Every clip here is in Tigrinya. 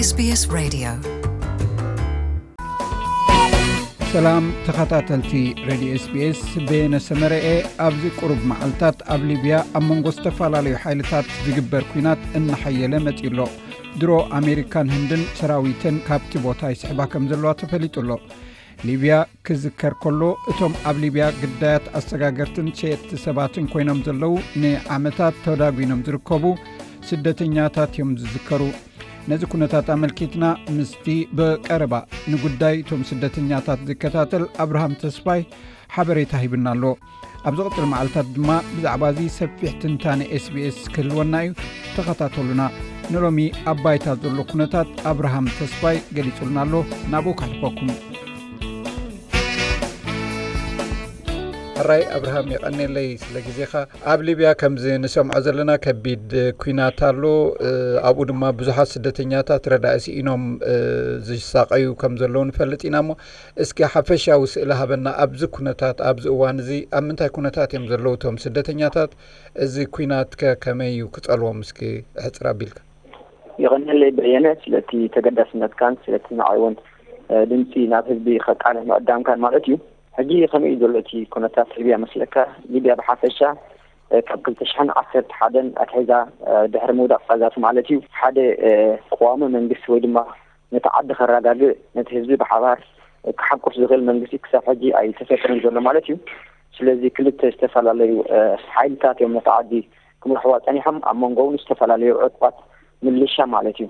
SBS Radio. ሰላም ተኸታተልቲ ሬድዮ ኤስቢኤስ፣ በየነ ሰመረኤ። ኣብዚ ቁሩብ መዓልታት ኣብ ሊብያ ኣብ መንጎ ዝተፈላለዩ ሓይልታት ዝግበር ኲናት እናሓየለ መጺኡ ኣሎ። ድሮ ኣሜሪካን ህንድን ሰራዊተን ካብቲ ቦታ ይስሕባ ከም ዘለዋ ተፈሊጡ ኣሎ። ሊብያ፣ ክዝከር ከሎ፣ እቶም ኣብ ሊብያ ግዳያት ኣሰጋገርትን ሸየጥቲ ሰባትን ኮይኖም ዘለዉ ንዓመታት ተዳጒኖም ዝርከቡ ስደተኛታት እዮም ዝዝከሩ። ነዚ ኩነታት ኣመልኪትና ምስቲ ብቀረባ ንጉዳይ እቶም ስደተኛታት ዝከታተል ኣብርሃም ተስፋይ ሓበሬታ ሂብና ኣሎ። ኣብ ዝቕጽል መዓልታት ድማ ብዛዕባ እዚ ሰፊሕ ትንታነ ኤስቢኤስ ክህልወና እዩ። ተኸታተሉና። ንሎሚ ኣብ ባይታ ዘሎ ኩነታት ኣብርሃም ተስፋይ ገሊጹልና ኣሎ። ናብኡ ከሕልፈኩም። ሕራይ ኣብርሃም፣ የቐኔለይ ስለ ግዜኻ። ኣብ ሊብያ ከምዚ ንሰምዖ ዘለና ከቢድ ኲናት ኣሎ። ኣብኡ ድማ ብዙሓት ስደተኛታት ረዳኢ ስኢኖም ዝሳቐዩ ከም ዘለዉ ንፈልጥ ኢና። እሞ እስኪ ሓፈሻዊ ስእሊ ሃበና። ኣብዚ ኩነታት፣ ኣብዚ እዋን እዚ ኣብ ምንታይ ኩነታት እዮም ዘለዉ እቶም ስደተኛታት? እዚ ኲናትከ ከመይ እዩ ክጸልዎም? እስኪ ሕጽር ኣቢልካ። የቐንየለይ በየነ፣ ስለቲ ተገዳስነትካን ስለቲ ንዓይ እውን ድምፂ ናብ ህዝቢ ከቃልሕ ምዕዳምካን ማለት እዩ። ሕጂ ከመይ እዩ ዘሎ እቲ ኩነታት ሊብያ መስለካ? ሊብያ ብሓፈሻ ካብ ክልተ ሽሕን ዓሰርተ ሓደን ኣትሒዛ፣ ድሕሪ ምውዳቕ ቃዛፊ ማለት እዩ፣ ሓደ ቀዋሚ መንግስቲ ወይ ድማ ነቲ ዓዲ ከረጋግእ፣ ነቲ ህዝቢ ብሓባር ክሓቁፍ ዝኽእል መንግስቲ ክሳብ ሕጂ ኣይተፈጠረን ዘሎ ማለት እዩ። ስለዚ ክልተ ዝተፈላለዩ ሓይልታት እዮም ነቲ ዓዲ ክመርሕዋ ጸኒሖም፣ ኣብ መንጎ እውን ዝተፈላለዩ ዕጡቓት ምልሻ ማለት እዩ።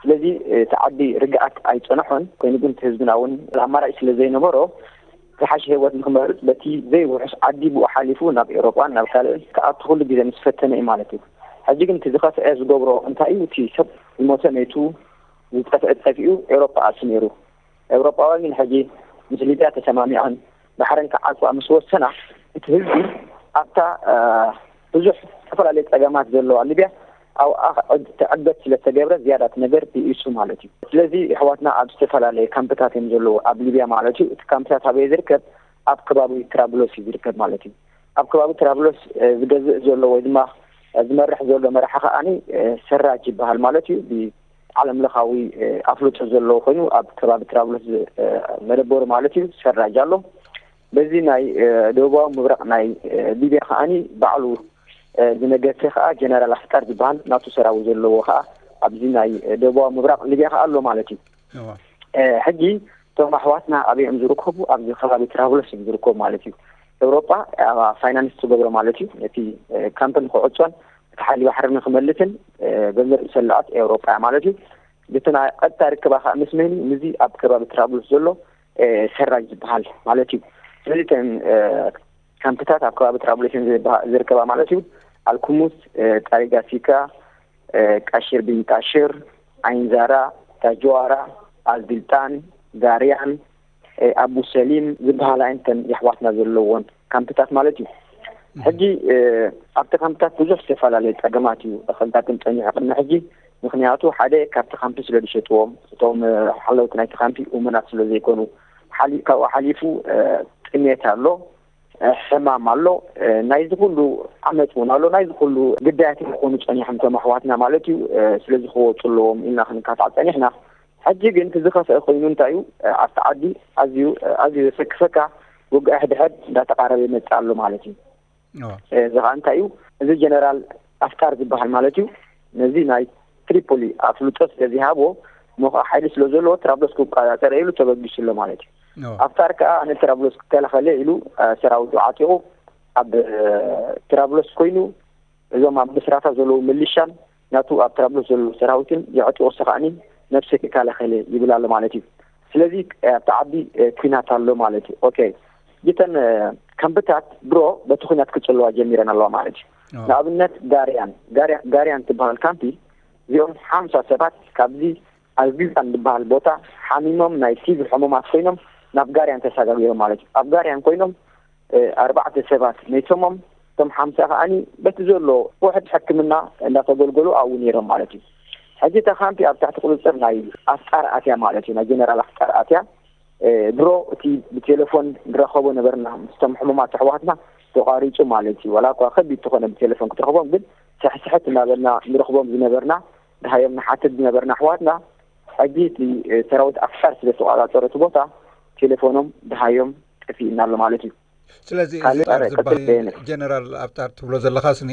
ስለዚ እቲ ዓዲ ርግኣት ኣይጸንሖን። ኮይኑ ግን እቲ ህዝብና እውን ኣማራጭ ስለ ዘይነበሮ ዝሓሸ ህይወት ንክመርጽ በቲ ዘይውሑስ ዓዲ ብኡ ሓሊፉ ናብ ኤውሮጳን ናብ ካልእ ክኣቱ ኩሉ ግዜ ምስ ፈተነ እዩ ማለት እዩ። ሕጂ ግን እቲ ዝኸፍአ ዝገብሮ እንታይ እዩ? እቲ ሰብ ዝሞተ መይቱ፣ ዝጠፍአ ጠፊኡ ኤውሮጳ ኣትዩ ነይሩ። ኤውሮጳውያን ግን ሕጂ ምስ ሊብያ ተሰማሚዐን ባሕረን ክዓጽዋ ምስ ወሰና፣ እቲ ህዝቢ ኣብታ ብዙሕ ዝተፈላለዩ ጸገማት ዘለዋ ሊብያ ኣብኣ ትዕገት ስለ ዝተገብረ ዝያዳ እቲ ነገር ብኢሱ ማለት እዩ። ስለዚ ኣሕዋትና ኣብ ዝተፈላለየ ካምፕታት እዮም ዘለዉ ኣብ ሊብያ ማለት እዩ። እቲ ካምፕታት ኣበየ ዝርከብ? ኣብ ከባቢ ትራብሎስ እዩ ዝርከብ ማለት እዩ። ኣብ ከባቢ ትራብሎስ ዝገዝእ ዘሎ ወይ ድማ ዝመርሕ ዘሎ መራሒ ከዓኒ ሰራጅ ይበሃል ማለት እዩ። ዓለም ለኻዊ ኣፍልጦ ዘለዎ ኮይኑ ኣብ ከባቢ ትራብሎስ መደበሩ ማለት እዩ ሰራጅ ኣሎ። በዚ ናይ ደቡባዊ ምብራቕ ናይ ሊብያ ከዓኒ ባዕሉ ዝነገሰ ከዓ ጀነራል ኣፍጣር ዝበሃል ናቱ ሰራዊት ዘለዎ ከዓ ኣብዚ ናይ ደቡባዊ ምብራቕ ሊብያ ከዓ ኣሎ ማለት እዩ። ሕጂ እቶም ኣሕዋትና ኣበይ እዮም ዝርከቡ? ኣብዚ ከባቢ ትራብሎስ እዮም ዝርከቡ ማለት እዩ። ኤውሮጳ ፋይናንስ ትገብሮ ማለት እዩ። ነቲ ካምፕ ንክዕጾን እቲ ሓይሊ ባሕሪ ንክመልስን ገንዘብ ዝሰለዐት ኤውሮጳ እያ ማለት እዩ። እቲ ናይ ቀጥታ ርክባ ከዓ ምስ መን እዩ? ምስዚ ኣብ ከባቢ ትራብሎስ ዘሎ ሰራጅ ዝበሃል ማለት እዩ። ስለዚ እተን ካምፕታት ኣብ ከባቢ ትራብሎስ እየን ዝርከባ ማለት እዩ። ኣልኩሙስ፣ ጣሪጋ ሲካ፣ ቃሽር ቢን ቃሽር፣ ዓይንዛራ፣ ታጅዋራ፣ ኣልቢልጣን፣ ጋርያን፣ ኣቡ ሰሊም ዝበሃላ እየን እተን የሕዋትና ዘለዎን ካምፕታት ማለት እዩ። ሕጂ ኣብቲ ካምፕታት ብዙሕ ዝተፈላለየ ጸገማት እዩ ከጋጥም ጸኒሑ ቅድሚ ሕጂ። ምክንያቱ ሓደ ካብቲ ካምፕ ስለ ዝሸጥዎም እቶም ሓለውቲ ናይቲ ካምፕ እሙናት ስለ ዘይኮኑ፣ ካብኡ ሓሊፉ ጥሜት ኣሎ፣ ሕማም ኣሎ፣ ናይዚ ኩሉ ዓመፅ እውን ኣሎ፣ ናይዚ ኩሉ ግዳያት እዮም ክኾኑ ፀኒሖም እቶም ኣሕዋትና ማለት እዩ። ስለዚ ክወፁ ኣለዎም ኢልና ክንካታዕ ፀኒሕና። ሕጂ ግን እቲ ዝኸፍአ ኮይኑ እንታይ እዩ? ኣብቲ ዓዲ ኣዝዩ ኣዝዩ ዘሰክፈካ ውግእ ሕድሕድ እንዳተቃረበ ይመፅእ ኣሎ ማለት እዩ። እዚ ከዓ እንታይ እዩ? እዚ ጀነራል ኣፍጣር ዝበሃል ማለት እዩ። ነዚ ናይ ትሪፖሊ ኣፍልጦ ስለ ዘይሃቦ እሞ ከዓ ሓይሊ ስለ ዘለዎ ትራብሎስ ክቆፃፀር ኢሉ ተበጊሱ ኣሎ ማለት እዩ። ኣፍጣር ከዓ ኣነ ትራብሎስ ክከላኸል ኢሉ ሰራዊቱ ዓጢቑ ኣብ ትራብሎስ ኮይኑ እዞም ኣብ ምስራታ ዘለዉ ሚሊሻን ናቱ ኣብ ትራብሎስ ዘለዉ ሰራዊትን የዕጢቑ ሰኻእኒ ነብሰይ ክከላኸል ይብል ኣሎ ማለት እዩ። ስለዚ ኣብቲ ዓዲ ኩናት ኣሎ ማለት እዩ። ኦኬ፣ እተን ካምፕታት ድሮ በቲ ኩናት ክጽልዋ ጀሚረን ኣለዋ ማለት እዩ። ንኣብነት ጋርያን ጋርያን ትበሃል ካምፒ እዚኦም ሓምሳ ሰባት ካብዚ ኣዝቢልጣን ዝበሃል ቦታ ሓሚሞም ናይ ቲቪ ሕሙማት ኮይኖም ናብ ጋርያን ተሰጋጊሮም ማለት እዩ። ኣብ ጋርያን ኮይኖም ኣርባዕተ ሰባት መይቶሞም፣ እቶም ሓምሳ ከዓኒ በቲ ዘሎ ውሕድ ሕክምና እንዳተገልገሉ ኣብኡ ነይሮም ማለት እዩ። ሕጂ እታ ካምፒ ኣብ ትሕቲ ቁፅፅር ናይ ኣፍጣር ኣትያ ማለት እዩ፣ ናይ ጀነራል ኣፍጣር ኣትያ። ድሮ እቲ ብቴሌፎን ንረኸቦ ነበርና ምስቶም ሕሙማት ኣሕዋትና ተቋሪፁ ማለት እዩ። ዋላ እኳ ከቢድ ተኾነ ብቴሌፎን ክትረኽቦም፣ ግን ስሕስሕት እናበልና ንረኽቦም ዝነበርና፣ ድሃዮም ንሓትት ዝነበርና ኣሕዋትና ሕጂ እቲ ሰራዊት ኣፍጣር ስለ ዝተቆጻጸረ እቲ ቦታ፣ ቴሌፎኖም ደሃዮም ጠፊእና ኣሎ ማለት እዩ። ስለዚ እዚ ካልእ ኣፍጣር ዝበሃል ጀነራል ኣፍጣር ትብሎ ዘለኻስኒ፣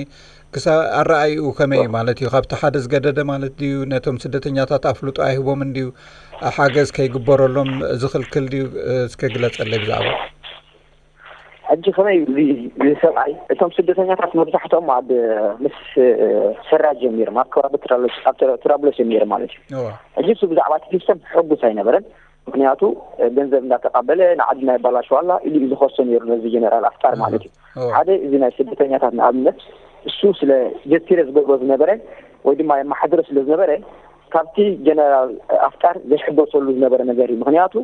ክሳ ኣረኣይኡ ከመይ ማለት እዩ? ካብቲ ሓደ ዝገደደ ማለት ድዩ? ነቶም ስደተኛታት ኣፍልጦ ኣይህቦምን ድዩ? ሓገዝ ከይግበረሎም ዝኽልክል ድዩ? እስከ ግለጸለይ ብዛዕባ። ሕጂ ከመይ እዩ እዚ፣ እዚ ሰብኣይ? እቶም ስደተኛታት መብዛሕትኦም ኣብ ምስ ሰራጅ እዮም ነይሮም፣ ኣብ ከባቢ ትራብሎስ፣ ኣብ ትራ-፣ ትራብሎስ እዮም ነይሮም ማለት እዩ። ሕጂ እሱ ብዛዕባ እቲ ሲስተም ሕጉስ ኣይነበረን። ምክንያቱ ገንዘብ እንዳተቃበለ ንዓድና የባላሽዋላ ኢሉ እዩ ዝኸሶ ነይሩ ነዚ ጀነራል ኣፍጣር ማለት እዩ። ሓደ እዚ ናይ ስደተኛታት ንኣብነት እሱ ስለ ጀቲረ ዝገብሮ ዝነበረ ወይ ድማ የመሓድሮ ስለ ዝነበረ ካብቲ ጀነራል ኣፍጣር ዘይሕጎሰሉ ዝነበረ ነገር እዩ። ምክንያቱ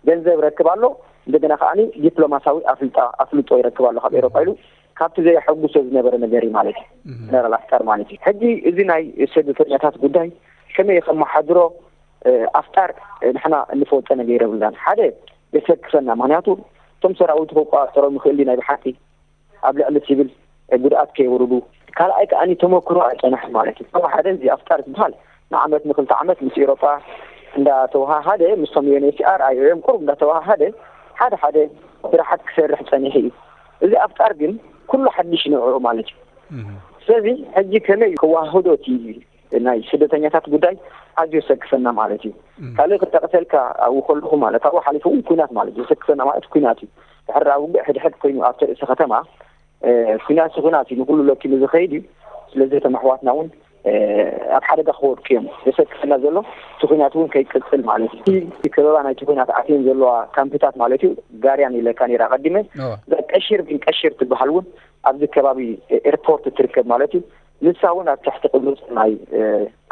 ገንዘብ ረክብ ኣሎ፣ እንደገና ከዓኒ ዲፕሎማሳዊ ኣፍልጣ-፣ ኣፍልጦ ይረክብ ኣሎ ካብ ኤሮፓ ኢሉ ካብቲ ዘየሐጉሶ ዝነበረ ነገር እዩ ማለት እዩ። ጀነራል ኣፍጣር ማለት እዩ። ሕጂ እዚ ናይ ስደተኛታት ጉዳይ ከመይ ከመሓድሮ ኣፍጣር ንሕና እንፈልጦ ነገር የብልናን። ሓደ የሰክፈና፣ ምክንያቱ እቶም ሰራዊት ክቆጻጸሮም ይኽእል እዩ ናይ ብሓቂ ኣብ ልዕሊ ሲቪል ጉድኣት ከየውርዱ። ካልኣይ ከኣ ተመክሮ ኣይጸንሐን ማለት እዩ። ካብ ሓደ እዚ ኣፍጣር ዝበሃል ንዓመት ንክልተ ዓመት ምስ ኤሮጳ እንዳተወሃሃደ፣ ምስቶም ዩ ኤን ኤች ሲ ኣር፣ ኣይ ኦ ኤም ቁሩብ እንዳተወሃሃደ ሓደ ሓደ ስራሓት ክሰርሕ ጸኒሑ እዩ። እዚ ኣፍጣር ግን ኩሉ ሓድሽ ንዕኡ ማለት እዩ። ስለዚ ሕጂ ከመይ ክወሃህዶ እቲ ናይ ስደተኛታት ጉዳይ ኣዝዩ ዘሰክፈና ማለት እዩ። ካልእ ክጠቕሰልካ ኣብኡ ከለኹ ማለት ኣብኡ ሓሊፉ እውን ኲናት ማለት እዩ። ዘሰክፈና ማለት ኲናት እዩ። ድሕሪ ኣብ ውግእ ሕድሕድ ኮይኑ ኣብቲ ርእሲ ከተማ ኲናት ሲ ኲናት እዩ፣ ንኹሉ ለኪሙ ዝኸይድ እዩ። ስለዚ እቶም ኣሕዋትና እውን ኣብ ሓደጋ ክወድቁ እዮም። ዘሰክፈና ዘሎ እቲ ኲናት እውን ከይቅጽል ማለት እዩ። እቲ ከበባ ናይቲ ኲናት ኣትየን ዘለዋ ካምፕታት ማለት እዩ፣ ጋርያን ኢለካ ነይረ ኣቐዲመ። እዛ ቀሺር ግን ቀሺር ትበሃል እውን ኣብዚ ከባቢ ኤርፖርት ትርከብ ማለት እዩ። ንሳ እውን ኣብ ትሕቲ ቅሉጽ ናይ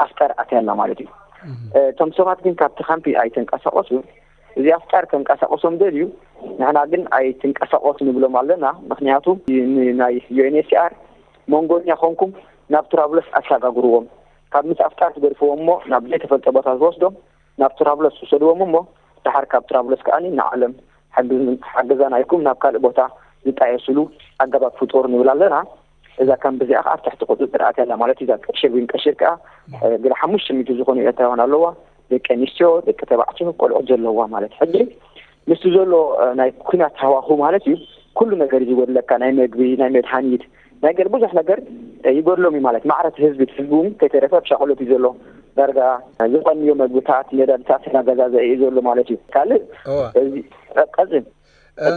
ኣፍጣር ኣትያ ኣላ ማለት እዩ። እቶም ሰባት ግን ካብቲ ካምፒ ኣይተንቀሳቐሱን። እዚ ኣፍጣር ከንቀሳቐሶም ደልዩ፣ ንሕና ግን ኣይትንቀሳቐሱ ንብሎም ኣለና። ምክንያቱ ን-፣ ናይ ዩ ኤን ኤች ሲ ኣር መንጎኛ ኮንኩም ናብ ትራብለስ ኣሰጋግርዎም። ካብ ምስ ኣፍጣር ትገድፍዎም እሞ ናብ ዘይተፈልጠ ቦታ ዝወስዶም ናብ ትራብለስ ውሰድዎም እሞ ደሓር ካብ ትራብለስ ከኣ ንዓለም ሓግዝ-፣ ሓገዛና ኢልኩም ናብ ካልእ ቦታ ዝጣየስሉ ኣገባብ ፍጠሩ ንብል ኣለና። እዛ ካምፕ እዚኣ ከኣ ኣብ ትሕቲ ቁጽጽር ኣትያ ኣላ ማለት እዩ። እዛ ቀሺር ዊን ቀሺር ከኣ ገለ ሓሙሽተ ሚእቲ ዝኾኑ ኤርትራውያን ኣለዋ። ደቂ ኣንስትዮ፣ ደቂ ተባዕትዮ፣ ቆልዑት ዘለዋ ማለት። ሕጂ ምስቲ ዘሎ ናይ ኲናት ሃዋሁ ማለት እዩ፣ ኩሉ ነገር እዩ ዝጎድለካ። ናይ መግቢ፣ ናይ መድሃኒት፣ ናይ ገለ ብዙሕ ነገር ይጎድሎም እዩ ማለት። ማዕረ እቲ ህዝቢ፣ እቲ ህዝቢ እውን ከይተረፈ ኣብ ሻቕሎት እዩ ዘሎ። ዳርጋ ዝቐንዮ መግብታት፣ ነዳድታት እናገዛዘአ እዩ ዘሎ ማለት እዩ። ካልእ እወ። እዚ ቀጽል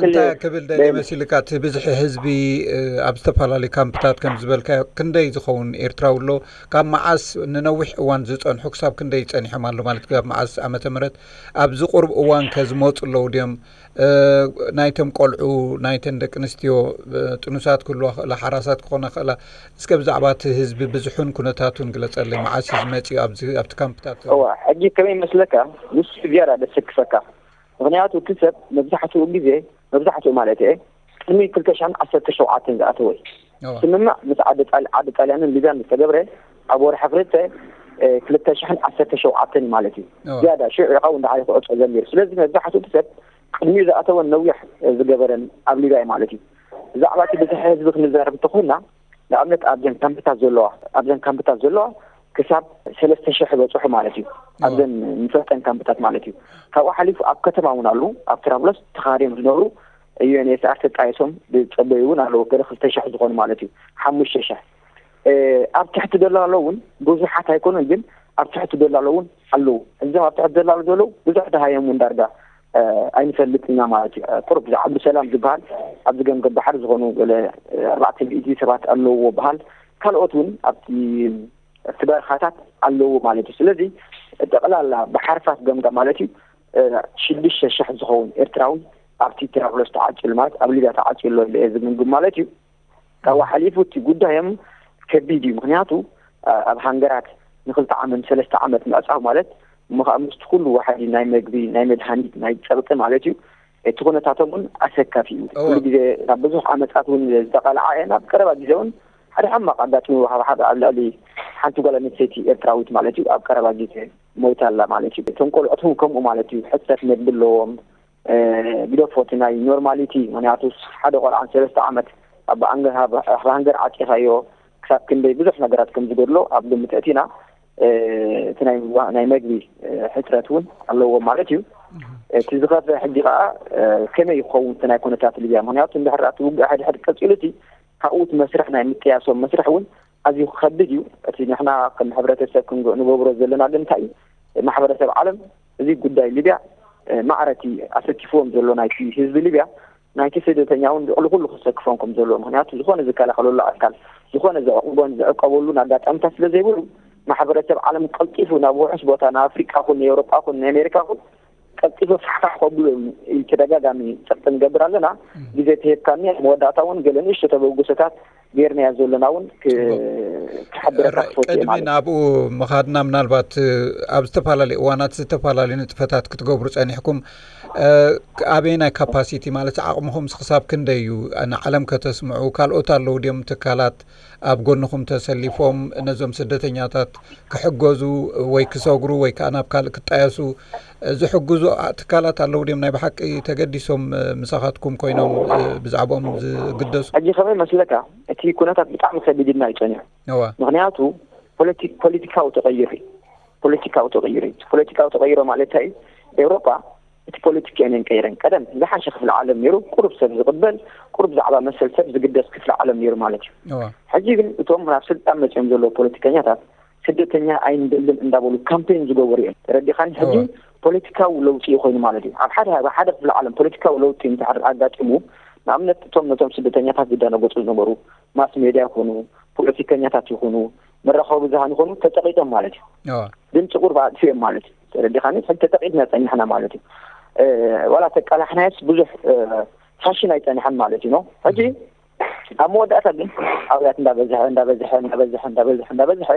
እንታይ ክብል ደልየ መሲልካ፣ እቲ ብዝሒ ህዝቢ ኣብ ዝተፈላለዩ ካምፕታት ከም ዝበልካዮ ክንደይ ዝኸውን ኤርትራዊ ኣሎ? ካብ መዓስ ንነዊሕ እዋን ዝጸንሑ ክሳብ ክንደይ ጸኒሖም ኣሎ ማለት ካብ መዓስ ዓመተ ምህረት ኣብዚ ቁሩብ እዋን ከ ዝመጹ ኣለዉ ድዮም? ናይቶም ቆልዑ፣ ናይተን ደቂ ኣንስትዮ ጥኑሳት ክህልዋ ክእላ፣ ሓራሳት ክኾና ክእላ፣ እስከ ብዛዕባ እቲ ህዝቢ ብዝሑን ኩነታቱን ግለጸለይ። መዓስ እዩ ዝመጽእ ኣብዚ ኣብቲ ካምፕታት ዘሎ? እዋ፣ ሕጂ ከመይ ይመስለካ? ንሱ ዝያዳ ደሰክፈካ። ምክንያቱ እቲ ሰብ መብዛሕትኡ ግዜ፣ መብዛሕትኡ ማለት እየ፣ ቅድሚ ክልተ ሽሕን ዓሰርተ ሸውዓተን ዝኣተወ እዩ። ስምምዕ ምስ ዓዲ ጣል-፣ ዓዲ ጣልያንን ሊብያን ዝተገብረ ኣብ ወርሒ ክልተ፣ እ፣ ክልተ ሽሕን ዓሰርተ ሸውዓተን ማለት እዩ። ዝያዳ ሽዑ ኢኻ እውን ደሓር ክዕጾ ዘሚሩ። ስለዚ መብዛሕትኡ እቲ ሰብ ቅድሚኡ ዝኣተወን ነዊሕ ዝገበረን ኣብ ሊብያ እዩ ማለት እዩ። ብዛዕባ እቲ ብዝሒ ህዝቢ ክንዛረብ እንተኾይና፣ ንኣብነት ኣብዘን ካምፕታት ዘለዋ፣ ኣብዘን ካምፕታት ዘለዋ ክሳብ ሰለስተ ሽሕ በጽሑ ማለት እዩ። ኣብዘን ንፈልጠን ካምፕታት ማለት እዩ። ካብኡ ሓሊፉ ኣብ ከተማ እውን ኣለዉ። ኣብ ትራብሎስ ተኻርዮም ዝነብሩ ዩ ኤን ኤች ሲ ኣር ተጣይሶም ዝጸበዩ እውን ኣለዉ። ገለ ክልተ ሽሕ ዝኾኑ ማለት እዩ። ሓሙሽተ ሽሕ። እ፣ ኣብ ትሕቲ ደሎ ኣለዉ እውን ብዙሓት ኣይኮኑን፣ ግን ኣብ ትሕቲ ደሎ ኣለዉ እውን ኣለዉ። እዞም ኣብ ትሕቲ ደሎ ዘለዉ ብዙሕ ደሃዮም እውን ዳርጋ እ፣ ኣይንፈልጥ ኢና ማለት እዩ። ቁሩብ እዚ ዓብዱሰላም ዝበሃል ኣብዚ ገምገም ባሕሪ ዝኾኑ ገለ፣ እ፣ ኣርባዕተ ሚእቲ ሰባት ኣለውዎ በሃል። ካልኦት እውን ኣብቲ፣ ኣብቲ በረኻታት ኣለውዎ ማለት እዩ። ስለዚ ጠቕላላ ብሓርፋት ገምጋም ማለት እዩ፣ እ፣ ሽዱሽተ ሽሕ ዝኸውን ኤርትራዊ ኣብቲ ትራብሎስ ተዓጽዩ ማለት ኣብ ሊብያ ተዓጽዩ ኣሎ ኢለ እየ ዝግምግም ማለት እዩ። ካብኡ ሓሊፉ እቲ ጉዳዮም ከቢድ እዩ። ምክንያቱ፣ ኣ-፣ ኣብ ሃንገራት ንክልተ ዓመት፣ ሰለስተ ዓመት ምዕጻው ማለት እሞ ከኣ ምስቲ ኩሉ ዋሕዲ ናይ መግቢ፣ ናይ መድሃኒት፣ ናይ ጸቕጢ ማለት እዩ። እቲ ኩነታቶም እውን ኣሰካፊ እዩ። እወ። ኩሉ ግዜ ናብ ብዙሕ ዓመጻት እውን ዝተቓልዓ እየን። ኣብ ቀረባ ግዜ እውን ሓደ ሕማቕ ኣጋጢሙ፣ ኣብ ሓደ፣ ኣብ ልዕሊ ሓንቲ ጓል ኣንስተይቲ ኤርትራዊት ማለት እዩ፣ ኣብ ቀረባ ግዜ ሞይታ ኣላ ማለት እዩ። እቶም ቆልዑት እውን ከምኡ ማለት እዩ፣ ሕጽረት መግቢ ኣለዎም። እ፣ ግደፎ እቲ ናይ ኖርማሊቲ፣ ምኽንያቱ ሓደ ቆልዓ ሰለስተ ዓመት ኣብ ኣንገ-፣ ኣብ፣ ኣብ ሃንገር ዓጺኻዮ ክሳብ ክንደይ ብዙሕ ነገራት ከም ዝጎድሎ ኣብ ግምት ኣእቲና፣ እቲ ናይ ምግቢ ሕፅረት እውን ኣለዎም ማለት እዩ። እቲ ዝኸፍአ ሕጂ ከዓ ከመይ ይኸውን እቲ ናይ ኩነታት ሊብያ? ምክንያቱ እንድሕር እቲ ውግእ ሕድሕድ ቀፂሉ እቲ ካብኡ እቲ መስርሕ ናይ ምጥያሶም መስርሕ እውን ኣዝዩ ክኸብድ እዩ። እቲ ንሕና ከም ሕብረተሰብ ክንገብሮ ዘለና ግን እንታይ እዩ? ማሕበረሰብ ዓለም እዚ ጉዳይ ሊብያ ማዕረቲ ኣሰኪፍዎም ዘሎ ናይቲ ህዝቢ ሊብያ ናይቲ ስደተኛ እውን ልዕሊ ኩሉ ክሰክፎም ከም ዘለዎ። ምክንያቱ ዝኾነ ዝከላኸለሉ ኣካል፣ ዝኾነ ዘዕቁቦን ዝዕቀበሉን ኣጋጣሚታት ስለ ዘይብሉ ማሕበረሰብ ዓለም ቀልጢፉ ናብ ውሑስ ቦታ፣ ናብ ኣፍሪቃ ኹን ንኤውሮጳ ኹን ንኣሜሪካ ኹን ቀልጢፉ ፋሕፋሕ ከብሉ ኢል ተደጋጋሚ ጸቕጢ ንገብር ኣለና። ግዜ ተሂብካኒ ኣብ መወዳእታ እውን ገለ ንእሽቶ ተበግሶታት ገይርናዮ ዘለና እውን ክሕብረካ ክፈቱ ማለት። ቅድሚ ናብኡ ምኻድና ምናልባት ኣብ ዝተፈላለዩ እዋናት ዝተፈላለዩ ንጥፈታት ክትገብሩ ጸኒሕኩም ኣበየናይ ካፓሲቲ ማለት ዓቕምኹም ክሳብ ክንደይ እዩ ንዓለም ከተስምዑ? ካልኦት ኣለዉ ድዮም ትካላት ኣብ ጎንኹም ተሰሊፎም ነዞም ስደተኛታት ክሕገዙ ወይ ክሰግሩ ወይ ከዓ ናብ ካልእ ክጣየሱ ዝሕግዙ ትካላት ኣለዉ ድዮም ናይ ብሓቂ ተገዲሶም ምሳኻትኩም ኮይኖም ብዛዕባኦም ዝግደሱ? ሕጂ ከመይ መስለካ እቲ ኩነታት ብጣዕሚ ከቢድና እዩ ጸኒሑ። ምክንያቱ ፖለቲካዊ ተቐይሩ እዩ። ፖለቲካዊ ተቐይሮ እዩ። ፖለቲካዊ ተቐይሮ ማለት እንታይ እዩ? ኤውሮጳ እቲ ፖለቲካ እየን ቀይረን። ቀደም ዝሓሸ ክፍለ ዓለም ነይሩ፣ ቁሩብ ሰብ ዝቕበል፣ ቁሩብ ዛዕባ መሰል ሰብ ዝግደስ ክፍለ ዓለም ነይሩ ማለት እዩ። ሕጂ ግን እቶም ናብ ስልጣን መፅኦም ዘለዉ ፖለቲከኛታት ስደተኛ ኣይንደልን እንዳበሉ ካምፔን ዝገበሩ እዮም። ተረዲኻኒ? ሕጂ ፖለቲካዊ ለውጢ ኮይኑ ማለት እዩ። ኣብ ሓደ ኣብ ሓደ ክፍለ ዓለም ፖለቲካዊ ለውጢ እንተሓር ኣጋጢሙ ንኣብነት እቶም ነቶም ስደተኛታት ዝደነገፁ ዝነበሩ ማስ ሜድያ ይኹኑ ፖለቲከኛታት ይኹኑ መራኸቢ ብዙሃን ይኹኑ ተጠቂጦም ማለት እዩ። ድምፂ ቁርብ ኣጥፊኦም ማለት እዩ። ተረዲኻኒ? ሕጂ ተጠቂጥና ፀኒሕና ማለት እዩ። ዋላ ተቃላሕናዮስ ብዙሕ ፋሽን ኣይፀንሐን ማለት እዩ። ሕጂ ኣብ መወዳእታ ግን ኣብያት እንዳበዝሐ እንዳበዝሐ እንዳበዝሐ እንዳበዝሐ እንዳበዝሐ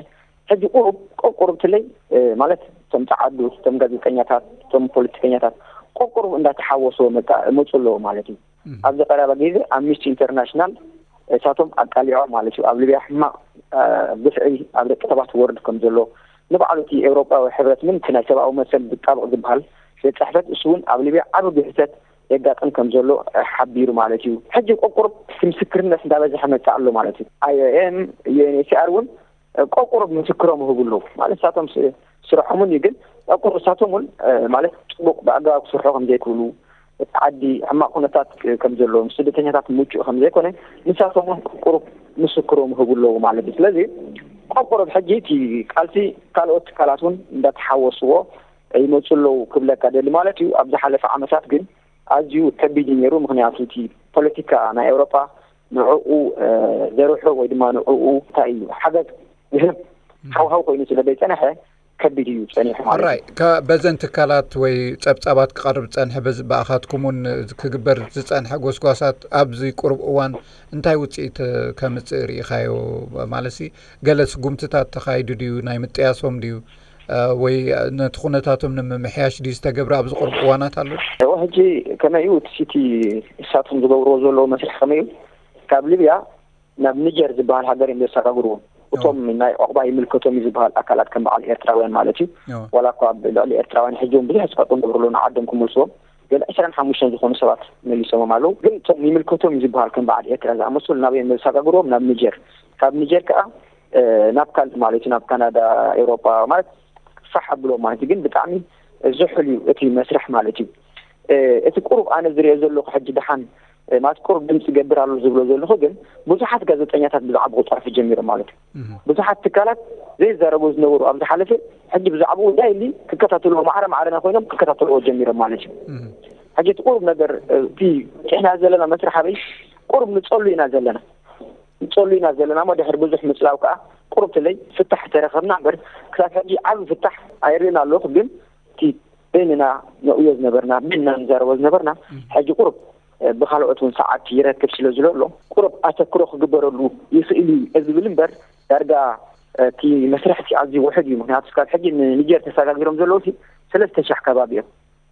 ሕጂ ቁሩብ ቆቁሩብ ትለይ ማለት እቶም ፃዓዱ እቶም ጋዜጠኛታት እቶም ፖለቲከኛታት ቆቁሩብ እንዳተሓወስዎ መፁ ኣለዎ ማለት እዩ። ኣብዚ ቀረባ ግዜ ኣምኒስቲ ኢንተርናሽናል እሳቶም ኣቃሊዖም ማለት እዩ። ኣብ ሊብያ ሕማቕ ግፍዒ ኣብ ደቂ ሰባት ወርድ ከም ዘሎ ንባዕሉ እቲ ኤውሮጳዊ ሕብረት ምን እቲ ናይ ሰብኣዊ መሰል ዝጣበቕ ዝበሃል ቤት ፅሕፈት እሱ እውን ኣብ ሊብያ ዓብ ግህሰት የጋጥም ከም ዘሎ ሓቢሩ ማለት እዩ። ሕጂ ቆቁር ምስክርነት እንዳበዝሐ መፅእ ኣሎ ማለት እዩ። ኣይ ኦ ኤም ዩ ኤን ኤች ሲ ኣር እውን ቆቁር ምስክሮም ይህቡ ኣለዉ ማለት እሳቶም ስርሖምን እዩ ግን ቆቁር እሳቶም እውን ማለት ፅቡቅ ብኣገባብ ክስርሑ ከም ዘይክእሉ እቲ ዓዲ ሕማቕ ኩነታት ከም ዘለዎ ምስ ስደተኛታት ምቹእ ከም ዘይኮነ ንሳቶም እውን ቁሩብ ምስክሮም ይህቡ ኣለዉ ማለት እዩ። ስለዚ ቆቁር ሕጂ እቲ ቃልሲ ካልኦት ትካላት እውን እንዳተሓወስዎ ይመፁ ኣለዉ ክብለካ ደሊ ማለት እዩ። ኣብ ዝሓለፈ ዓመታት ግን ኣዝዩ ከቢድ እዩ ነይሩ። ምክንያቱ እቲ ፖለቲካ ናይ ኤውሮጳ ንዕኡ ዘርሑ ወይ ድማ ንዕኡ እንታይ እዩ ሓገዝ ዝህብ ሃውሃው ኮይኑ ስለ ዘይፀነሐ ከቢድ እዩ ጸኒሑ ማለት እዩ። ራይ በዘን ትካላት ወይ ጸብጻባት ክቐርብ ዝጸንሐ በዚ ብኣኻትኩም እውን ክግበር ዝጸንሐ ጎስጓሳት ኣብዚ ቁሩብ እዋን እንታይ ውጽኢት ከምጽእ ርኢኻዮ? ማለት ሲ ገለ ስጉምትታት ተኻይዱ ድዩ? ናይ ምጥያሶም ድዩ? ወይ ነቲ ኩነታቶም ንምምሕያሽ ድዩ ዝተገብረ ኣብዚ ቁሩብ እዋናት ኣሎ? እወ ሕጂ ከመይ እዩ እቲ ሲቲ እሳቶም ዝገብርዎ ዘለዉ መስርሕ ከመይ እዩ ካብ ሊብያ ናብ ኒጀር ዝበሃል ሃገር እዮም ዘሰጋግርዎም። እቶም ናይ ዑቕባ ይምልከቶም እዩ ዝበሃል ኣካላት ከም በዓል ኤርትራውያን ማለት እዩ። ዋላ እኳ ኣብ ልዕሊ ኤርትራውያን ሕጂ እውን ብዙሕ ፀቕጢ ንገብሩ ኣለዉ ንዓዶም ክመልስዎም ገለ ዕስራን ሓሙሽተን ዝኾኑ ሰባት መሊሶሞም ኣለዉ። ግን እቶም ይምልከቶም እዩ ዝበሃል ከም በዓል ኤርትራ ዝኣመሰሉ ናበይ እዮም ዘሰጋግርዎም? ናብ ኒጀር። ካብ ኒጀር ከዓ ናብ ካልእ ማለት እዩ ናብ ካናዳ፣ ኤውሮጳ ማለት ፋሕ ኣብሎም ማለት እዩ። ግን ብጣዕሚ ዝሑል እዩ እቲ መስርሕ ማለት እዩ። እቲ ቁሩብ ኣነ ዝሪኦ ዘለኹ ሕጂ ደሓን ማለት ቁሩብ ድምፂ ይገብር ኣሎ ዝብሎ ዘለኹ ግን ብዙሓት ጋዜጠኛታት ብዛዕባኡ ክፀርሑ ጀሚሮም ማለት እዩ። ብዙሓት ትካላት ዘይዛረቡ ዝነበሩ ኣብ ዝሓለፈ ሕጂ ብዛዕባኡ ዳይሊ ክከታተልዎ ማዕረ ማዕረና ኮይኖም ክከታተልዎ ጀሚሮም ማለት እዩ። ሕጂ እቲ ቁሩብ ነገር እቲ ጭሕና ዘለና መስርሕ ኣበይ ቁሩብ ንፀሉ ኢና ዘለና ንፀሉ ኢና ዘለና እሞ ድሕሪ ብዙሕ ምፅላው ከዓ ቁሩብ ትለይ ፍታሕ ተረኸብና እምበር ክሳብ ሕጂ ዓብዪ ፍታሕ ኣይርእን ኣለኹ ግን እቲ በይንና ንርእዮ ዝነበርና በይንና ንዛረቦ ዝነበርና ሕጂ ቁሩብ ብካልኦት እውን ሰዓት ይረክብ ስለ ዝለሎ ቁሩብ ኣተክሮ ክግበረሉ ይኽእል እዩ ዝብል እምበር ዳርጋ እቲ መስርሕ እቲ ኣዝዩ ውሕድ እዩ። ምክንያቱ ስካብ ሕጂ ንኒጀር ተሰጋጊሮም ዘለዉ ሰለስተ ሻሕ ከባቢ እዮም።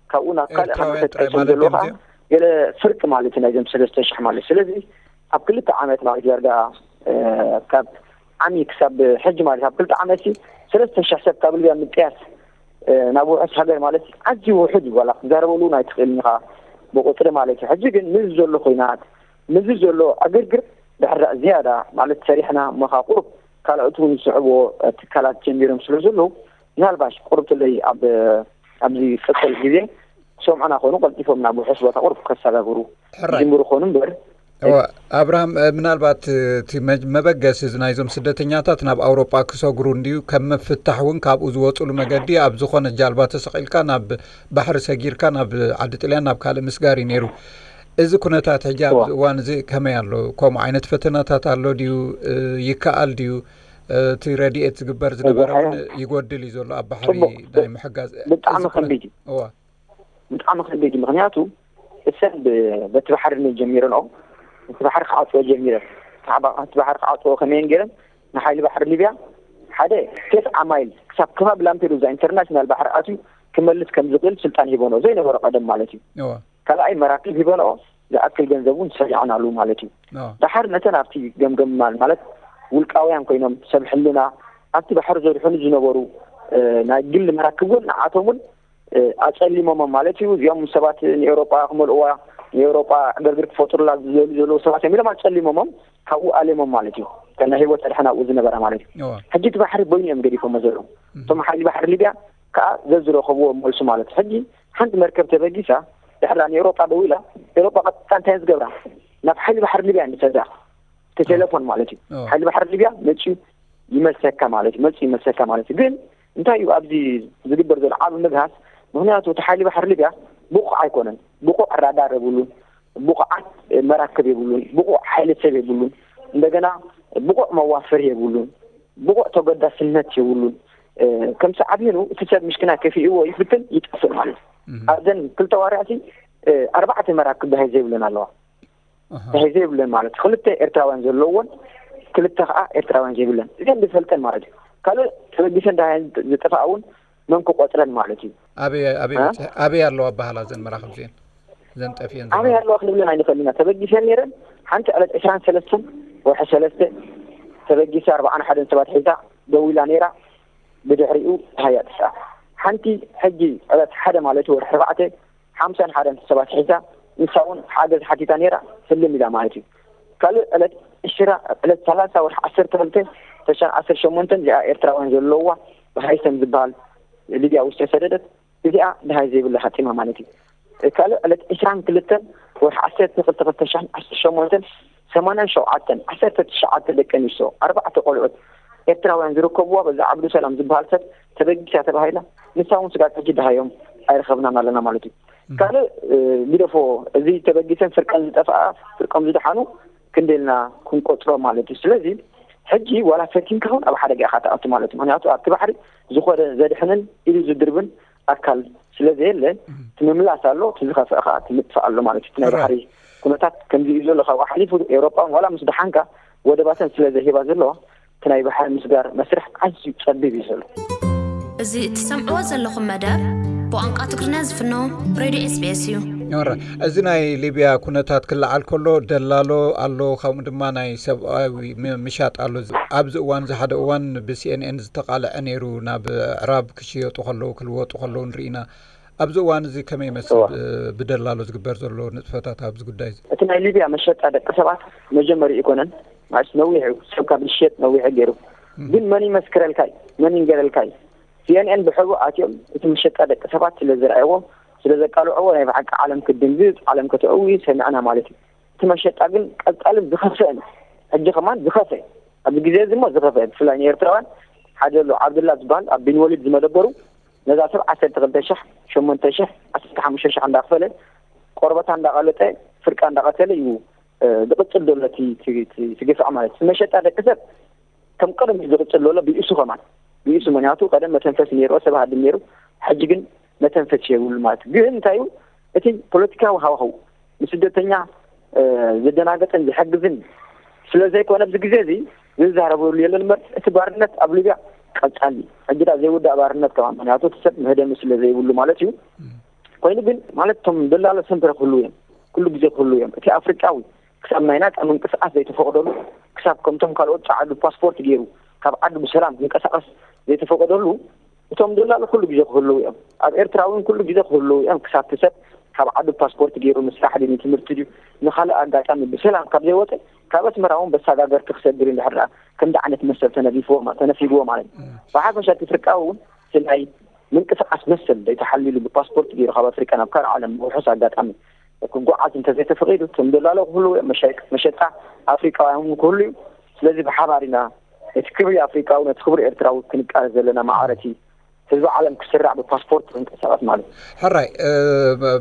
ካብኡ ናብ ካልእ ሃገር ተጣይሶም ዘለዉ ከዓ ገለ ፍርቂ ማለት እዩ ናይዞም ሰለስተ ሻሕ ማለት ስለዚ ኣብ ክልተ ዓመት ማለት ዳርጋ ካብ ዓሚ ክሳብ ሕጂ ማለት ኣብ ክልተ ዓመት ሰለስተ ሽሕ ሰብ ካብ ሊብያ ምጥያስ ናብ ውሑስ ሃገር ማለት ኣዝዩ ውሑድ እዩ። ዋላ ክትዛረበሉ እውን ኣይትኽእልን ኢኻ ብቁፅሪ ማለት እዩ። ሕጂ ግን ምዚ ዘሎ ኮይናት ምዚ ዘሎ ዕግርግር ድሕር ዝያዳ ማለት ሰሪሕና እሞ ከዓ ቁሩብ ካልኦት እውን ዝስዕብዎ ትካላት ጀሚሮም ስለ ዘለዉ፣ ምናልባሽ ቁርብ ትለይ ኣብ ኣብዚ ቀጸል ግዜ ክሰምዑና ኮኑ ቀልጢፎም ናብ ውሑስ ቦታ ቁርብ ከሰጋግሩ ሕራይ። ዝምሩ ኮኑ እምበር። እወ፣ ኣብርሃም፣ እ፣ ምናልባት፣ እ፣ እቲ መ-፣ መበገሲ እዚ ናይዞም ስደተኛታት ናብ ኣውሮጳ ክሰግሩ እንድዩ፣ ከም ምፍታሕ እውን ካብኡ ዝወፅሉ መገዲ ኣብ ዝኾነ ጃልባ ተሰቒልካ ናብ ባሕሪ ሰጊርካ ናብ ዓዲ ጥልያን ናብ ካልእ ምስጋር እዩ ነይሩ። እዚ ኩነታት ሕጂ ኣብዚ እዋ። እዋን እዚ ከመይ ኣሎ? ከምኡ ዓይነት ፈተናታት ኣሎ ድዩ? እ፣ ይከኣል ድዩ? እ፣ እቲ ረድኤት ዝግበር ዝነበረ እውን ይጎድል እዩ ዘሎ ኣብ ባሕሪ ጽቡቕ። ናይ ምሕጋዝ። ብጣዕሚ እዚ ኩነ-፣ ከቢድ እዩ። እዋ። ብጣዕሚ ከቢድ እዩ። ምኽንያቱ እሰን ብ-፣ በቲ ባሕሪ ጀሚረንኦ፣ እቲ ባሕሪ ክዓጽዎ ጀሚረን። እቲ ሓባ-፣ እቲ ባሕሪ ክዓጽዎ ከመየን ገይረን ንሓይሊ ባሕሪ ሊብያ ሓደ ቴስዓ ማይል ክሳብ ከባቢ ላምፔዱዛ ኢንተርናሽናል ባሕሪ ኣትዩ ክመልስ ከም ዝኽእል ስልጣን ሂቦንኦ፣ ዘይነበሮ ቀደም ማለት እዩ። እዋ። ካልኣይ መራክብ ሂቦንኦ ዝኣክል ገንዘብ እውን ሰሪዖናሉ ማለት እዩ። እዋ። ደሓር ነተን ኣብቲ ገምገም ማል ማለት ውልቃውያን ኮይኖም ሰብ ሕልና ኣብቲ ባሕሪ ዘድሕኑ ዝነበሩ፣ እ፣ ናይ ግል መራክብ እውን ንዓቶም እውን እ፣ ኣጸሊሞሞም ማለት እዩ። እዚኦም ሰባት ንኤውሮጳ ክመልእዋ፣ ንኤውሮጳ ዕግርግር ክፈጥሩላ ዝደልዩ ዘለዉ ሰባት እዮም ኢሎም ኣጸሊሞሞም፣ ካብኡ ኣሌሞም ማለት እዩ። ከና ህይወት ኣድሕን ኣብኡ ዝነበራ ማለት እዩ። እዋ። ሕጂ እቲ ባሕሪ በይኑ እዮም ገዲፎሞ ዘለዉ። እም። እቶም ሓይሊ ባሕሪ ሊብያ ከኣ ዘዝረኸብዎ መልሱ ማለት እዩ። ሕጂ ሓንቲ መርከብ ተበጊሳ፣ ድሕራ ንኤውሮጳ ደዊላ፣ ኤውሮጳ ቀጥታ እንታይ ዝገብራ? ናብ ሓይሊ ባሕሪ ሊብያ ንሰዳ። እቲ ቴሌፎን ማለት እዩ። እዋ። ሓይሊ ባሕሪ ሊብያ መጺኡ ይመልሰካ ማለት እዩ። መጺኡ ይመልሰካ ማለት እዩ። ግን እንታይ እዩ ኣብዚ ዝግበር ዘሎ ዓቢ ምግሃስ? ምኽንያቱ እቲ ሓይሊ ባሕሪ ሊብያ ብቑዕ ኣይኮነን። ብቑዕ ራዳር የብሉን፣ ብቑዓት መራክብ የብሉን፣ ብቑዕ ሓይሊ ሰብ የብሉን፣ እንደገና ብቑዕ መዋፈሪ የብሉን፣ ብቑዕ ተገዳስነት የብሉን። እ፣ ከም ሰዓብኑ እቲ ሰብ ምሽክና ከፊእዎ ይፍትን ይጠፍእ ማለት እዩ። እም። ኣብዘን ክልተ ዋርያሲ፣ እ፣ ኣርባዕተ መራክብ ባሕሪ ዘይብለን ኣለዋ። ኣሃ። ዳሃይ ዘይብለን ማለት ክልተ ኤርትራውያን ዘለዎን ክልተ ከዓ ኤርትራውያን ዘይብለን እዚአን ዝፈልጠን ማለት እዩ። ካልእ ተበጊሰን ዳሃይ ዝጠፋ እውን መን ክቆፅረን ማለት እዩ። ኣበይ ኣበይ እ? በፂሐ ኣበይ ኣለዋ ኣባሃላ ዘን መራኽብ ዚአን ዘን ጠፊአን ኣበይ ዘለዋ? ኣለዋ ክንብለን ኣይንኽእል ኢና። ተበጊሰን ነይረን ሓንቲ ዕለት ዕስራን ሰለስተን ወርሒ ሰለስተ ተበጊሳ ኣርባዓን ሓደን ሰባት ሒዛ ደዊላ ነይራ። ብድሕሪኡ ዳሃይ ኣጥፍኣ። ሓንቲ ሕጂ ዕለት ሓደ ማለት እዩ ወርሒ ኣርባዕተ ሓምሳን ሓደን ሰባት ሒዛ ንሳ እውን ሓገዝ ሓቲታ ነይራ። ህልም ኢላ ማለት እዩ። ካልእ ዕለት ዕሽራ ዕለት ሰላሳ ወርሒ ዓሰርተ ክልተ ተሻን ዓሰርተ ሸሞንተን እዚኣ ኤርትራውያን ዘለውዋ ብሃይሰም ዝበሃል ሊብያ ውስጥ ተሰደደት። እዚኣ ድሃይ ዘይብላ ሃጢማ ማለት እዩ። ካልእ ዕለት ዕስራን ክልተን ወርሒ ዓሰርተ ክልተ ክልተ ሻን ዓሰርተ ሸሞንተን ሰማንያን ሸውዓተን ዓሰርተ ትሽዓተ ደቂ ኣንስትዮ ኣርባዕተ ቆልዑት ኤርትራውያን ዝርከብዋ በዛ ዓብዱ ሰላም ዝበሃል ሰብ ተበጊሳ ተባሂላ። ንሳ እውን ስጋብ ሕጂ ደሃዮም ኣይረኸብናን ኣለና ማለት እዩ። ካልእ ግደፎ፣ እዚ ተበጊሰን ፍርቀን ዝጠፍኣ ፍርቆም ዝደሓኑ ክንደልና ክንቆፅሮ ማለት እዩ። ስለዚ ሕጂ ዋላ ፈቲንካ እውን ኣብ ሓደጋ ኢኻ ትኣቱ ማለት እዩ። ምክንያቱ ኣብቲ ባሕሪ ዝኾነ ዘድሕንን ኢሉ ዝድርብን ኣካል ስለ ዘየለ እቲ ምምላስ ኣሎ፣ እቲ ዝኸፍአ ከዓ እቲ ምጥፋእ ኣሎ ማለት እዩ። እቲ ናይ ባሕሪ ኩነታት ከምዚ እዩ ዘሎ። ካብኡ ሓሊፉ ኤውሮጳ ዋላ ምስ ደሓንካ ወደባተን ስለ ዘይህባ ዘለዋ እቲ ናይ ባሕሪ ምስጋር መስርሕ ኣዝዩ ጸቢብ እዩ ዘሎ። እዚ እትሰምዕዎ ዘለኹም መደብ ብቋንቋ ትግርኛ ዝፍኖ ሬድዮ ኤስቢኤስ እዩ። ዮረ፣ እዚ ናይ ሊብያ ኩነታት ክለዓል ከሎ ደላሎ ኣሎ፣ ከምኡ ድማ ናይ ሰብኣዊ ም-፣ ምሻጥ ኣሎ። ኣብዚ እዋን እዚ ሓደ እዋን ብሲኤንኤን ዝተቓልዐ ነይሩ፣ ናብ ኣዕራብ ክሽየጡ ከለዉ ክልወጡ ከለዉ ንርኢና። ኣብዚ እዋን እዚ ከመይ ይመስል እዋ። ብ-፣ ብደላሎ ዝግበር ዘሎ ንጥፈታት ኣብዚ ጉዳይ እዚ? እቲ ናይ ሊብያ መሸጣ ደቂ ሰባት መጀመሪ ይኮነን፣ ማለት ነዊሕ እዩ፣ ሰብ ካብ ዝሸጥ ነዊሕ ገይሩ። እም። ግን መን ይመስክረልካ እዩ? መን ይንገረልካ እዩ? ሲኤንኤን ብሕቡ ኣትዮም እቲ መሸጣ ደቂ ሰባት ስለ ዝረኣይዎ፣ ስለ ዘቃልዕዎ ናይ ብሓቂ ዓለም ክድንግጽ፣ ዓለም ከተእዊ ሰሚዕና ማለት እዩ። እቲ መሸጣ ግን ቀጻልን ዝኸፍአን፣ ሕጂ ከማን ዝኸፍአ፣ ኣብዚ ግዜ እዚ እሞ ዝኸፍአ፣ ብፍላይ ንኤርትራውያን ሓደ ኣሎ ዓብድላ ዝበሃል ኣብ ቢን ወሊድ ዝመደበሩ፣ ነዛ ሰብ ዓሰርተ ክልተ ሸሕ፣ ሸሞንተ ሸሕ፣ ዓሰርተ ሓሙሽተ ሸሕ እንዳኽፈለ፣ ቆርበታ እንዳቐለጠ፣ ፍርቃ እንዳቐተለ እዩ፣ እ፣ ዝቕጽል ዘሎ እቲ፣ እቲ፣ እቲ፣ እቲ ግፍዒ ማለት እዩ። መሸጣ ደቂ ሰብ ከም ቀደም እዩ ዝቕጽል ዘሎ፣ ብኢሱ ከማን። ብኢሱ፣ ምኽንያቱ ቀደም መተንፈሲ ነይርዎ፣ ሰብ ሃድም ነይሩ። ሕጂ ግን መተንፈሲ የብሉ ማለት እዩ። ግን እንታይ እዩ? እቲ ፖለቲካዊ ሃዋህው ንስደተኛ፣ እ፣ ዘደናገጸን ዝሕግዝን ስለ ዘይኮነ ኣብዚ ግዜ እዚ ዝዛረበሉ የለን እምበር እቲ ባርነት ኣብ ሊብያ ቀጻሊ እዩ። ሕጂ ደኣ ዘይውዳእ ባርነት ከማን፣ ምኽንያቱ እቲ ሰብ መህደሚ ስለ ዘይብሉ ማለት እዩ። እም። ኮይኑ ግን ማለት እቶም ደላሎ ሰንተረ ክህልዉ እዮም። ኩሉ ግዜ ክህልዉ እዮም። እቲ ኣፍሪቃዊ ክሳብ ናይ ናጻ ምንቅስቃስ ዘይተፈቕደሉ፣ ክሳብ ከምቶም ካልኦት ጸዓዱ ፓስፖርት ገይሩ ካብ ዓዱ ብሰላም ክንቀሳቐስ ዘይተፈቐደሉ፣ እቶም ደላሎ ኩሉ ግዜ ክህልዉ እዮም። ኣብ ኤርትራ እውን ኩሉ ግዜ ክህልዉ እዮም። ክሳብ እቲ ሰብ ካብ ዓዱ ፓስፖርት ገይሩ ንስራሕ ድዩ ንትምህርቲ ድዩ ንኻልእ ኣጋጣሚ ብሰላም ካብ ዘይወፀ ካብ ኣስመራ እውን በሳጋገርቲ ክሰግር እንድሕር ደኣ ከምዚ ዓይነት መሰል ተነፊፍዎ ተነፊግዎ ማለት እዩ። ብሓፈሻ እቲ ኣፍሪቃዊ እውን እቲ ናይ ምንቅስቃስ መሰል ዘይተሓልዩሉ ብፓስፖርት ገይሩ ካብ ኣፍሪቃ ናብ ካልእ ዓለም ብውሑስ ኣጋጣሚ ክጓዓዝ እንተዘይተፈቒዱ እቶም ደላሎ ክህልዉ እዮም፣ መሸጣ ኣፍሪቃውያን እውን ክህሉ እዩ። ስለዚ ብሓባር ኢና ነቲ ክብሪ ኣፍሪቃዊ ነቲ ክብሪ ኤርትራዊ ክንቃለስ ዘለና ማዕረ እቲ ህዝቢ ዓለም ክስራዕ ብፓስፖርት ክንቀሳቀስ ማለት እዩ። ሕራይ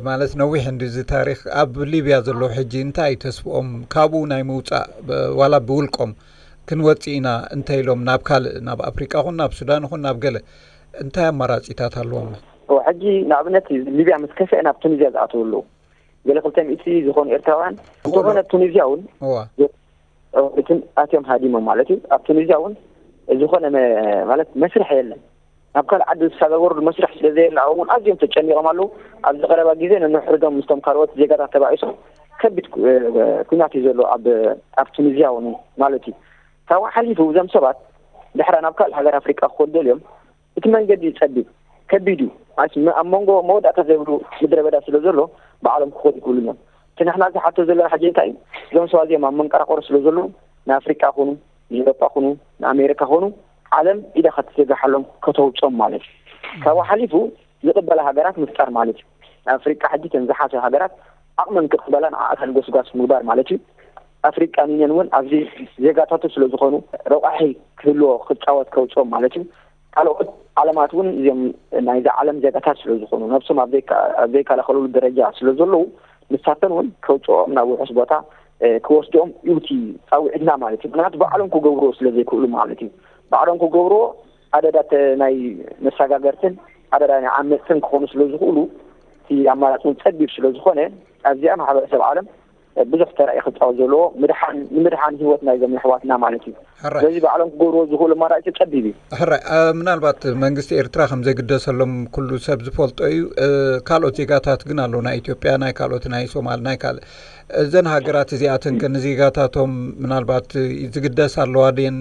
ማለት ነዊሕ እንዲ እዚ ታሪክ ኣብ ሊብያ ዘለዉ ሕጂ እንታይ እዩ ተስፍኦም ካብኡ ናይ ምውፃእ ዋላ ብውልቆም ክንወፅእ ኢና እንተ ኢሎም ናብ ካልእ ናብ ኣፍሪቃ ኹን ናብ ሱዳን ኹን ናብ ገለ እንታይ ኣማራፂታት ኣለዎም? ሕጂ ንኣብነት ሊብያ ምስ ከፍአ ናብ ቱኒዝያ ዝኣተዉ ኣለዉ። ገለ ክልተ ሚእቲ ዝኾኑ ኤርትራውያን እንተኾነ ኣብ ቱኒዝያ እውን እዋ እትን ኣትዮም ሃዲሞም ማለት እዩ። ኣብ ቱኒዝያ እውን ዝኾነ መ- ማለት መስርሕ የለን። ናብ ካልእ ዓዲ ዝሰጋገሩሉ መስርሕ ስለ ዘየለ ኣብኡ እውን ኣዝዮም ተጨኒቖም ኣለዉ። ኣብዚ ቀረባ ግዜ ነንሕድዶም ምስቶም ካልኦት ዜጋታት ተባኢሶም ከቢድ ኩ- ኩናት እዩ ዘሎ ኣብ ኣብ ቱኒዝያ እውን ማለት እዩ። ካብኡ ሓሊፉ እዞም ሰባት ድሕራ ናብ ካልእ ሃገር ኣፍሪቃ ክኸዱ ደልዮም እቲ መንገዲ እዩ ጸቢብ፣ ከቢድ እዩ። ማለት ኣብ መንጎ መወዳእታ ዘይብሉ ምድረ በዳ ስለ ዘሎ ባዕሎም ክኸዱ ይክእሉን እዮም። እቲ ንሕና ዝሓቶ ዘለና ሕጂ እንታይ እዩ? እዞም ሰባት እዚኦም ኣብ መንቀራቕሮ ስለ ዘለዉ ንኣፍሪቃ ኹኑ ንኤውሮጳ ኹኑ ንኣሜሪካ ኹኑ ዓለም ኢዳ ክትዘጋሓሎም ከተውጾም ማለት እዩ። ካብኡ ሓሊፉ ዝቕበላ ሃገራት ምፍጣር ማለት እዩ። ንኣፍሪቃ ሕጂ ተን ዝሓሸ ሃገራት ዓቕመን ክቕበላ ንዓኣተን ጎስጓስ ምግባር ማለት እዩ። ኣፍሪቃን ዩኒየን እውን ኣብዚ ዜጋታቱ ስለ ዝኾኑ ረቋሒ ክህልዎ ክፃወት ከውፅኦም ማለት እዩ። ካልኦት ዓለማት እውን እዚኦም ናይዛ ዓለም ዜጋታት ስለ ዝኾኑ ነብሶም ኣብ ዘይከላኸሉሉ ደረጃ ስለ ዘለዉ ንሳተን እውን ከውፅኦም ናብ ውሑስ ቦታ ክወስድኦም እዩ እቲ ፃውዒትና ማለት እዩ። ምክንያቱ ባዕሎም ክገብርዎ ስለ ዘይክእሉ ማለት እዩ። ባዕሎም ክገብርዎ ኣደዳ ናይ መሰጋገርትን ኣደዳ ናይ ዓመፅትን ክኾኑ ስለ ዝኽእሉ እቲ ኣማራፂ እውን ፀቢብ ስለ ዝኾነ ኣብዚኣ ማሕበረሰብ ዓለም ብዙሕ ተራ እዩ ክፃወት ዘለዎ። ምድሓን ንምድሓን ህይወት ናይዞም የሕዋትና ማለት እዩ። ሕራይ ስለዚ ባዕሎም ክገብርዎ ዝኽእሉ ኣማራፂ ፀቢብ እዩ። ሕራይ ኣ፣ ምናልባት መንግስቲ ኤርትራ ከም ዘይግደሰሎም ኩሉ ሰብ ዝፈልጦ እዩ። እ፣ ካልኦት ዜጋታት ግን ኣለዉ፣ ናይ ኢትዮጵያ፣ ናይ ካልኦት፣ ናይ ሶማል፣ ናይ ካልእ። እዘን ሃገራት እዚኣተን ከ ንዜጋታቶም ምናልባት ዝግደስ ኣለዋ ድየን?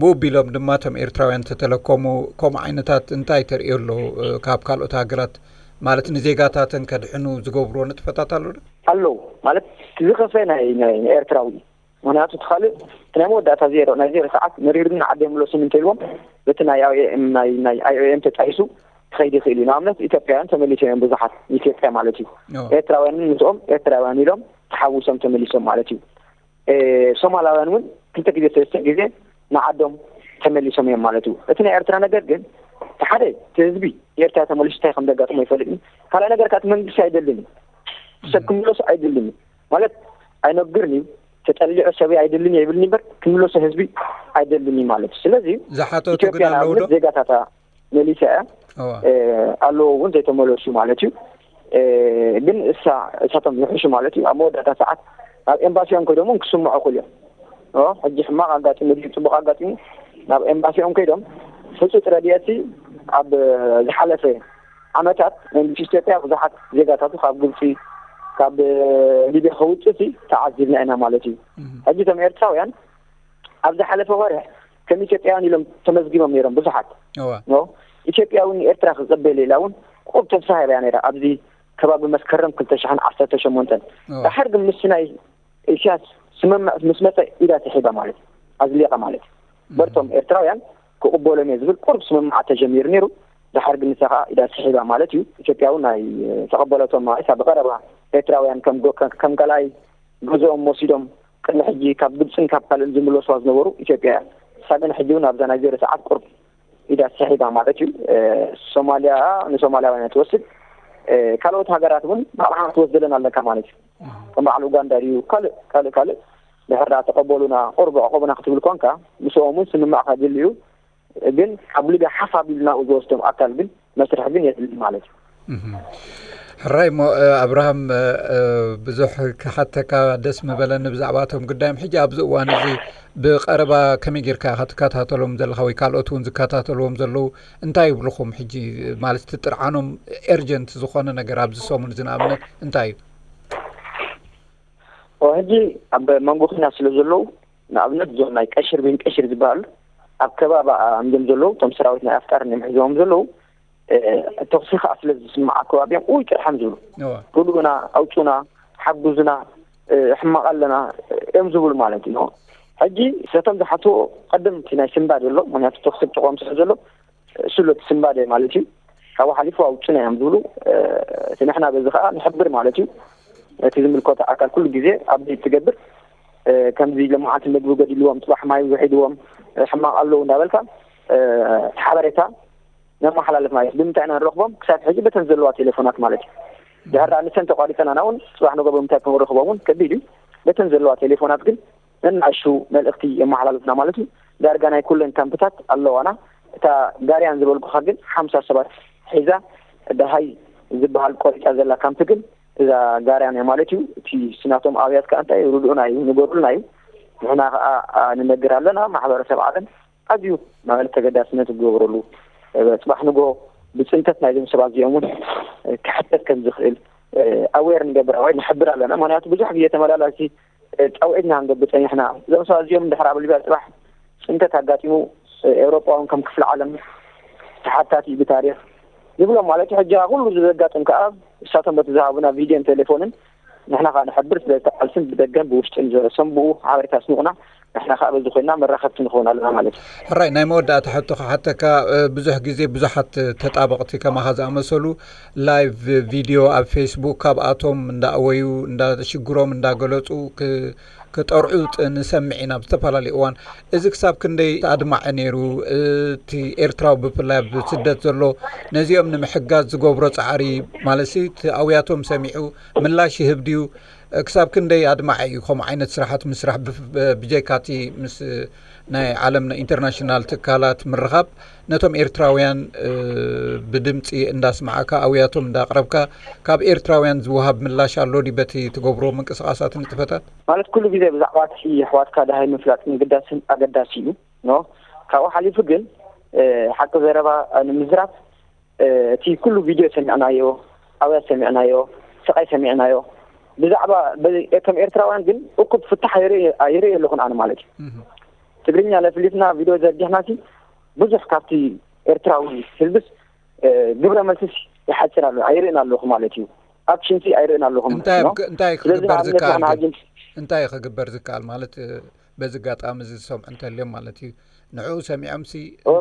ብኡ ቢሎም ድማ እቶም ኤርትራውያን ተተለከሙ ከምኡ ዓይነታት እንታይ ተርእዮ ኣለዉ? እ፣ ካብ ካልኦት ሃገራት ማለት ንዜጋታተን ከድሕኑ ዝገብርዎ ንጥፈታት ኣሎ ዶ? ኣለዉ ማለት እቲ ዝኸፍአ ናይ ናይ ኤርትራዊ እዩ። ምክንያቱ እቲ ካልእ እቲ ናይ መወዳእታ ዜሮ ናይ ዜሮ ሰዓት መሪሩኒ ዓደይ ምለሱኒ እንተኢልዎም በቲ ናይ ኣይ ኦ ኤም ናይ ናይ ኣይ ኦ ኤም ተጣይሱ ክኸይድ ይኽእል እዩ። ንኣብነት ኢትዮጵያውያን ተመሊሶም እዮም ብዙሓት ንኢትዮጵያ ማለት እዩ። ኦ። ኤርትራውያን ምስኦም ኤርትራውያን ኢሎም ተሓዊሶም ተመሊሶም ማለት እዩ። እ፣ ሶማላውያን እውን ክልተ ግዜ ሰለስተ ግዜ ንዓዶም ተመሊሶም እዮም ማለት እዩ። እቲ ናይ ኤርትራ ነገር ግን እቲ ሓደ እቲ ህዝቢ ኤርትራ ተመሊሱ እንታይ ከም ዘጋጥሞ ኣይፈልጥን። ካልኣይ ነገር ከዓ እቲ መንግስቲ ኣይደልን እዩ። ሰብ ክምለሱ ኣይደልን እዩ ማለት ኣይነግርን እዩ። ተጠሊዑ ሰብ ኣይደልን እየ ይብል እምበር ክምለሱ ህዝቢ ኣይደልን እዩ ማለት እዩ። ስለዚ ዝሓተቱ ግን ኢትዮጵያ ኣለዉ ዶ? ንኣብነት ዜጋታታ መሊሳ እያ። እዋ። እ፣ ኣለዎ እውን ዘይተመለሱ ማለት እዩ። እ፣ ግን እሳ እሳቶም ዝሕሹ ማለት እዩ። ኣብ መወዳእታ ሰዓት ናብ ኤምባሲኦም ከይዶም እውን ክስምዑ ክእሉ እዮም። ኦ፣ ሕጂ ሕማቕ ኣጋጢሙ ድዩ ፅቡቕ ኣጋጢሙ ናብ ኤምባሲኦም ከይዶም ህፁፅ ረድኤት ኣብ ዝሓለፈ ዓመታት መንግስቲ ኢትዮጵያ ብዙሓት ዜጋታቱ ካብ ግብፂ ካብ ሊብያ ከውፅእ ተዓዚብና ኢና ማለት እዩ። እህ። ሕጂ እቶም ኤርትራውያን ኣብ ዝሓለፈ ወርሒ ከም ኢትዮጵያውያን ኢሎም ተመዝጊቦም ነይሮም ብዙሓት። እዋ። ኖ? ኢትዮጵያ እውን ንኤርትራ ክቕበል ኢላ እውን ቁሩብ ተስፋ ሂባ እያ ነይራ። ኣብዚ ከባቢ መስከረም ክልተ ሽሕን ዓሰርተ ሸሞንተን። እዋ። ድሓር ግን ምስ ናይ ኢሳያስ ስምምዕ ምስ መጸ ኢዳ ስሒባ ማለት እዩ። ኣዝሊቓ ማለት እዩ። እም። በርቶም ኤርትራውያን ክቕበሎም እየ ዝብል ቁሩብ ስምምዓት ተጀሚሩ ነይሩ። ድሓር ግን ንሳ ኸኣ ኢዳ ስሒባ ማለት እዩ። ኢትዮጵያ እውን ናይ ተቐበለቶም ማለት እያ። ብቐረባ ኤርትራውያን ከም ጎ-፣ ከም፣ ከም ካልኣይ ገዝኦም ወሲዶም ቅድሚ ሕጂ ካብ ግብፅን ካብ ካልእን ዝምለሱዋ ዝነበሩ ኢትዮጵያ እያ። ንሳ ግን ሕጂ እውን ኣብዛ ናይ ዜሮ ሰዓት ቁርብ ኢዳ ሰሒባ ማለት እዩ። እ፣ ሶማልያ ንሶማልያውያን እያ ትወስድ። እ፣ ካልኦት ሃገራት እውን ባዕልኻ ክትወስደለን ኣለካ ማለት እዩ። ከም በዓል ኡጋንዳ ድዩ ካልእ ካልእ ካልእ ድሕር ደኣ ተቐበሉና ቁርብ ዕቆቡና ክትብል ኮንካ ምስኦም እውን ስምማዕካ ድልዩ ግን ካብ ሊብያ ሓፍ ኣቢሉ ናብኡ ዝወስዶም ኣካል ግን መስርሕ ግን የድሊ ማለት እዩ። እህ። ሕራይ እሞ እ፣ ኣብርሃም እ፣ እ፣ ብዙሕ ክሓተካ ደስ ምበለኒ ብዛዕባ እቶም ጉዳዮም ሕጂ ኣብዚ እዋን እዚ ብቐረባ ከመይ ጌርካ ኢኻ ትከታተሎም ዘለኻ ወይ ካልኦት እውን ዝከታተልዎም ዘለዉ እንታይ ይብልኹም ሕጂ ማለት እቲ ጥርዓኖም ኤርጀንት ዝኾነ ነገር ኣብዚ ሰሙን እዚ ንኣብነት እንታይ እዩ? ሕጂ ኣብ መንጎ ኩናት ስለ ዘለዉ ንኣብነት እዞም ናይ ቀሽር ቤን ቀሽር ዝበሃሉ ኣብ ከባቢ እዮም ዘለዉ እቶም ሰራዊት ናይ ኣፍጣር እዮም ሒዞም ዘለዉ ተኽሲ ከዓ ስለ ዝስማዕ ኣብ ከባቢኦም ውይ ጥርሓም ዝብሉ ርድኡና ኣውፁና ሓጉዙና ሕማቕ ኣለና እዮም ዝብሉ ማለት እዩ። ሕጂ ሰቶም ዝሓትዎ ቀደም እቲ ናይ ስንባድ ዘሎ፣ ምክንያቱ ተክሲ ጥቆም ስለ ዘሎ እሱ ኣሎ እቲ ስንባድ ማለት እዩ። ካብኡ ሓሊፉ ኣውፅና እዮም ዝብሉ። እቲ ንሕና በዚ ከዓ ንሕብር ማለት እዩ። እቲ ዝምልከቶ ኣካል ኩሉ ግዜ ኣብዴት ትገብር። ከምዚ ለማዓልቲ ምግቢ ገዲልዎም፣ ፅባሕ ማይ ውሒድዎም፣ ሕማቕ ኣለዉ እንዳበልካ እቲ ሓበሬታ ነመሓላልፍ ማለት እዩ። ብምንታይ ኢና ንረኽቦም? ክሳብ ሕጂ በተን ዘለዋ ቴሌፎናት ማለት እዩ። ድሕር ደኣ ንሰን ተቋሪፀናና እውን ፅባሕ ንጎ ብምንታይ ክንረኽቦም እውን ከቢድ እዩ። በተን ዘለዋ ቴሌፎናት ግን ነናእሹ መልእኽቲ የመሓላልፍና ማለት እዩ። ዳርጋ ናይ ኩለን ካምፕታት ኣለዋና። እታ ጋርያን ዝበልኩኻ ግን ሓምሳ ሰባት ሒዛ ደሃይ ዝበሃል ቆሪፃ ዘላ ካምፕ ግን እዛ ጋርያን እያ ማለት እዩ። እቲ ስናቶም ኣብያት ከዓ እንታይ ርድኡና እዩ፣ ንገሩልና እዩ። ንሕና ከዓ ንነግር ኣለና። ማሕበረሰብ ዓለም ኣዝዩ ማለት ተገዳስነት ዝገብረሉ፣ ጽባሕ ንጎ ብጽንተት ናይዞም ሰባት እዚኦም እውን ክሕተት ከም ዝኽእል ኣዌር ንገብር ወይ ንሕብር ኣለና። ምክንያቱ ብዙሕ ግዜ ተመላላሲ ጻውዒትና ክንገብር ጸኒሕና። እዞም ሰባት እዚኦም እንድሕር ኣብ ሊብያ ጽባሕ ጽንተት ኣጋጢሙ ኤውሮጳ እውን ከም ክፍሊ ዓለም ተሓታቲ እዩ ብታሪኽ ንብሎም ማለት እዩ። ሕጂ ኩሉ ዘጋጥም ከኣ እሳቶም በቲ ዝሃቡና ቪድዮን ቴሌፎንን ንሕና ከኣ ንሕብር ስለ እቲ ቃልስን ብደገን ብውሽጥን ዘሰንብኡ ሓበሬታ ስንቑና ንሕና ከኣ በዚ ኮይና መራኸብቲ ንኸውን ኣለና ማለት እዩ። ሕራይ ናይ መወዳእታ ሕቶ ክሓተካ፣ ብዙሕ ግዜ ብዙሓት ተጣበቕቲ ከማኻ ዝኣመሰሉ ላይቭ ቪድዮ ኣብ ፌስቡክ ካብኣቶም እንዳእወዩ እንዳ ሽግሮም እንዳገለጹ ክጠርዑ ንሰምዕ ኢና ብዝተፈላለዩ እዋን። እዚ ክሳብ ክንደይ ኣድማዒ ነይሩ? እቲ ኤርትራዊ ብፍላይ ኣብ ስደት ዘሎ ነዚኦም ንምሕጋዝ ዝገብሮ ጻዕሪ ማለትሲ እቲ ኣውያቶም ሰሚዑ ምላሽ ይህብ ድዩ? ክሳብ ክንደይ ኣድማዒ እዩ ከምኡ ዓይነት ስራሓት ምስራሕ ብጀይካቲ ምስ ናይ ዓለም ኢንተርናሽናል ትካላት ምርኻብ ነቶም ኤርትራውያን ብድምፂ እንዳስማዕካ ኣውያቶም እንዳቅረብካ ካብ ኤርትራውያን ዝወሃብ ምላሽ ኣሎ ድዩ በቲ ትገብሮ ምንቅስቃሳት ንጥፈታት? ማለት ኩሉ ግዜ ብዛዕባ እቲ ኣሕዋትካ ደሃይ ምፍላጥ ምግዳስን ኣገዳሲ እዩ። ኖ ካብኡ ሓሊፉ ግን ሓቂ ዘረባ ንምዝራብ እቲ ኩሉ ቪድዮ ሰሚዕናዮ፣ ኣውያት ሰሚዕናዮ፣ ስቃይ ሰሚዕናዮ። ብዛዕባ ከም ኤርትራውያን ግን እኩብ ፍታሕ ኣይርኢ ኣለኹን ኣነ ማለት እዩ። ትግርኛ ለፍሊፍና ቪድዮ ዘርጊሕና ሲ ብዙሕ ካብቲ ኤርትራዊ ህዝብስ ግብረ መልስስ ይሓፅር ኣሎ ኣይርእን ኣለኹ ማለት እዩ። ኣክሽን ሲ ኣይርእን ኣለኹም። ስለዚ ንኣብነት ንሕና ሕጂ እንታይ ክግበር ዝከኣል ማለት በዚ ኣጋጣሚ እዚ ዝሰምዑ እንተልዮም ማለት እዩ። ንዕኡ ሰሚዖም ሲ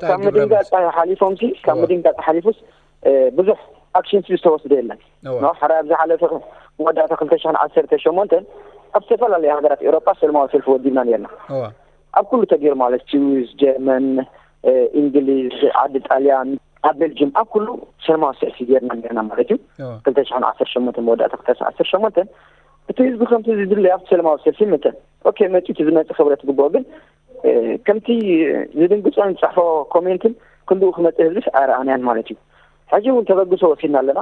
ካብ ምድንጋፅ ሓሊፎም ሲ ካብ ምድንጋፅ ሓሊፉስ ብዙሕ ኣክሽን ሲ ዝተወስደ የለን። ሕራይ ኣብ ዝሓለፈ መወዳእታ ክልተ ሽሕን ዓሰርተ ሸሞንተን ኣብ ዝተፈላለዩ ሃገራት ኤውሮጳ ሰልማዊ ሰልፊ ወዲብና ነርና። ኣብ ኩሉ ተገይሩ ማለት ስዊስ፣ ጀርመን፣ እንግሊዝ፣ ዓዲ ጣልያን፣ ኣብ ቤልጅም ኣብ ኩሉ ሰልማዊ ሰልፊ ገይርና ነርና ማለት እዩ። ክልተ ሽሕን ዓሰርተ ሸሞንተ መወዳእታ ክልተ ሽሕን ዓሰርተ ሸሞንተ እቲ ህዝቢ ከምቲ ዝድለይ ኣብቲ ሰልማዊ ሰልፊ መተን ኦኬ መፂኡ እቲ ዝመፅእ ክብረት ዝግብኦ ግን ከምቲ ዝድንግፆን ዝፅሕፎ ኮሜንትን ክንድኡ ክመፅእ ህዝብስ ኣይረኣናያን ማለት እዩ። ሕጂ እውን ተበግሶ ወሲድና ኣለና።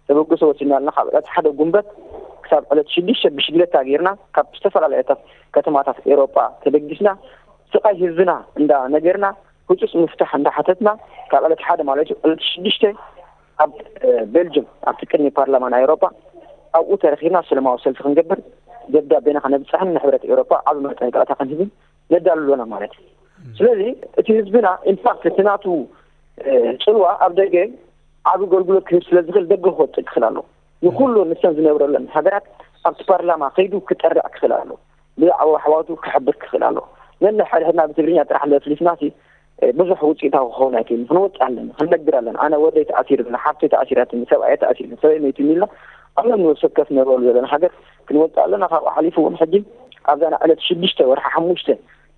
ተበግሶ ወሲድና ኣለና። ካብ ዕለት ሓደ ጉንበት ክሳብ ዕለት ሽዱሽተ ብሽግለታ ገይርና ካብ ዝተፈላለዩ ከተማታት ኤውሮጳ ተበጊስና ስቃይ ህዝብና እንዳ ነገርና ህፁፅ ምፍታሕ እንዳ ሓተትና ካብ ዕለት ሓደ ማለት እዩ ዕለት ሽዱሽተ ኣብ ቤልጅም ኣብቲ ቅድሚ ፓርላማ ናይ ኤውሮጳ ኣብኡ ተረኪብና ሰለማዊ ሰልፊ ክንገብር ደብዳቤና ከነብፅሕን ንሕብረት ኤውሮጳ ዓብ መጠንቀቕታ ክንህብን ነዳሉ ኣለና ማለት እዩ። ስለዚ እቲ ህዝብና ኢንፋክት እቲ ናቱ ፅልዋ ኣብ ደገ ዓብ ኣገልግሎት ክህብ ስለ ዝኽእል ደገ ክወፅእ ክኽእል ኣሎ። ንኩሉ ንሰን ዝነብረለን ሃገራት ኣብቲ ፓርላማ ከይዱ ክጠርዕ ክኽእል ኣሎ። ብዛዕባ ኣሕዋቱ ክሕብር ክኽእል ኣሎ። ነንሕድሕድና ብትግርኛ ጥራሕ ለፍሊፍና ሲ ብዙሕ ውፅኢታዊ ክኸውን ኣይክእልን። ክንወፅእ ኣለና፣ ክንነግር ኣለና። ኣነ ወደይ ተኣሲሩ፣ ሓፍተይ ተኣሲራትኒ፣ ሰብኣየ ተኣሲሩ፣ ሰበይ መይቱኒ ኢልና ኣብ ነብሲ ወከፍ ነብረሉ ዘለና ሃገር ክንወፅእ ኣለና። ካብኡ ሓሊፉ እውን ሕጂ ኣብዛ ናይ ዕለት ሽዱሽተ ወርሒ ሓሙሽተ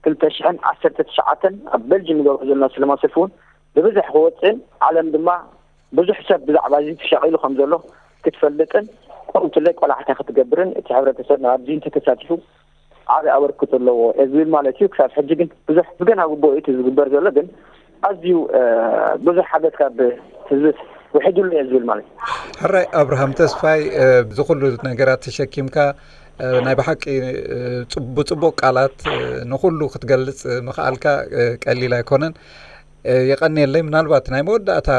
ክልተ ሽሕን ዓሰርተ ትሽዓተን ኣብ በልጅም ንገብሮ ዘለና ሰለማዊ ሰልፊ እውን ብብዝሒ ክወፅእን ዓለም ድማ ብዙሕ ሰብ ብዛዕባ እዚ ተሻቒሉ ከም ዘሎ ክትፈልጥን ከምኡ ትለይ ቆላሕታ ክትገብርን እቲ ሕብረተሰብ ኣብዚ እንተተሳቲፉ ዓቢ ኣበርክቶ ኣለዎ እየ ዝብል ማለት እዩ። ክሳብ ሕጂ ግን ብዙሕ ብገና ግቡእ እቲ ዝግበር ዘሎ ግን ኣዝዩ ብዙሕ ሓገዝ ካብ ህዝቢ ውሒዱሉ እየ ዝብል ማለት እዩ። ሕራይ ኣብርሃም ተስፋይ፣ እዚ ኩሉ ነገራት ተሸኪምካ ናይ ብሓቂ ብፅቡቅ ቃላት ንኩሉ ክትገልፅ ምኽኣልካ ቀሊል ኣይኮነን። የቐንየለይ። ምናልባት ናይ መወዳእታ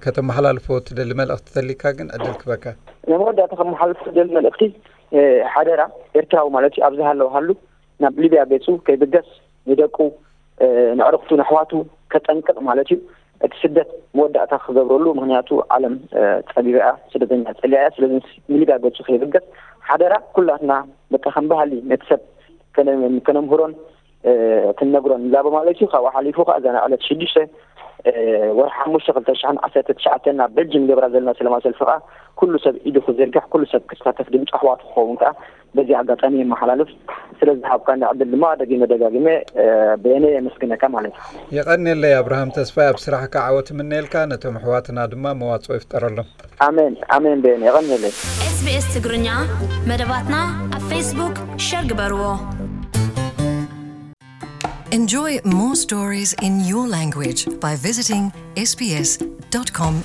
ከተመሓላልፎ ትደሊ መልእኽቲ ተሊካ ግን ዕድል ክበካ። ናይ መወዳእታ ከመሓላልፎ ትደሊ መልእኽቲ ሓደራ ኤርትራዊ ማለት እዩ ኣብዚ ሃለውሃሉ ናብ ሊብያ ገፁ ከይብገስ ንደቁ ንዕርኽቱ ንኣሕዋቱ ከጠንቅቕ ማለት እዩ። እቲ ስደት መወዳእታ ክገብረሉ ምክንያቱ ዓለም ፀቢባ እያ፣ ስደተኛ ፀሊኣ እያ። ስለዚ ንሊብያ ገፁ ከይብገስ ሓደራ ኩላትና በቃ ከም ባህሊ ነቲ ሰብ ከነ- ከነምህሮን እ፣ ክንነግሮን ላቦ ማለት እዩ። ካብኡ ሓሊፉ ከዓ እዛ ናይ ዕለት ሽዱሽተ፣ እ፣ ወርሒ ሓሙሽተ ክልተ ሽሕን ዓሰርተ ትሽዓተን ናብ በልጅም ገብራ ዘለና ሰላማዊ ሰልፊ ከዓ ኩሉ ሰብ ኢዱ ክዝርግሕ፣ ኩሉ ሰብ ክሳተፍ፣ ድምፂ ኣሕዋቱ ክኸውን ከዓ በዚ ኣጋጣሚ የመሓላልፍ። ስለዚ ሃብካ ዕድል ድማ ደጊመ ደጋጊመ፣ እ፣ በየነ የመስግነካ ማለት እዩ። የቐንየለይ ኣብርሃም ተስፋይ፣ ኣብ ስራሕካ ዓወት እምነየልካ፣ ነቶም ኣሕዋትና ድማ መዋፅኦ ይፍጠረሎም። ኣሜን ኣሜን። በየነ የቐንየለይ። SBS ትግርኛ መደባትና ኣብ ፌስቡክ ሸር ግበርዎ። Enjoy more stories in your language by visiting sbs.com.au.